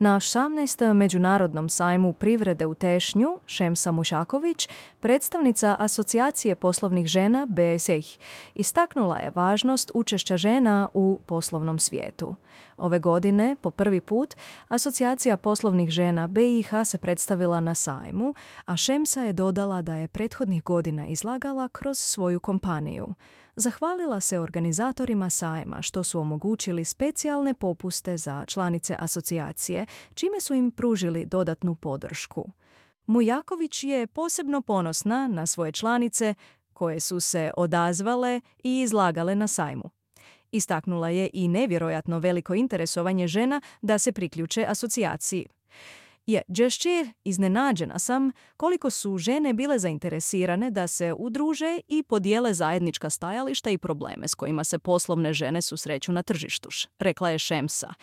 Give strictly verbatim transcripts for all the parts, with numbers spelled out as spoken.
Na osamnaestom Međunarodnom sajmu privrede u Tešnju, Šemsa Mušaković, predstavnica Asocijacije poslovnih žena B S I, istaknula je važnost učešća žena u poslovnom svijetu. Ove godine, po prvi put, Asocijacija poslovnih žena B i H se predstavila na sajmu, a Šemsa je dodala da je prethodnih godina izlagala kroz svoju kompaniju. Zahvalila se organizatorima sajma što su omogućili specijalne popuste za članice asocijacije, čime su im pružili dodatnu podršku. Mujaković je posebno ponosna na svoje članice koje su se odazvale i izlagale na sajmu. Istaknula je i nevjerojatno veliko interesovanje žena da se priključe asocijaciji. Je, Đešćir, iznenađena sam koliko su žene bile zainteresirane da se udruže i podijele zajednička stajališta i probleme s kojima se poslovne žene susreću na tržištu, rekla je Šemsa.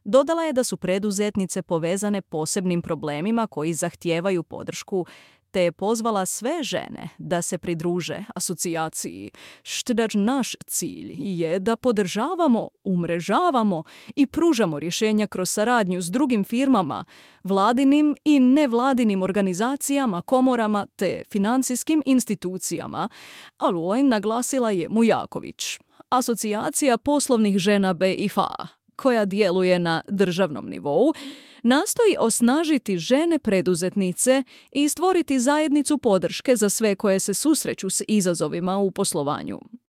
Dodala je da su preduzetnice povezane posebnim problemima koji zahtijevaju podršku, te je pozvala sve žene da se pridruže asocijaciji. Štdač naš cilj je da podržavamo, umrežavamo i pružamo rješenja kroz saradnju s drugim firmama, vladinim i nevladinim organizacijama, komorama te financijskim institucijama, ali naglasila je Mujaković. Asocijacija poslovnih žena B i H, koja djeluje na državnom nivou, nastoji osnažiti žene preduzetnice i stvoriti zajednicu podrške za sve koje se susreću s izazovima u poslovanju.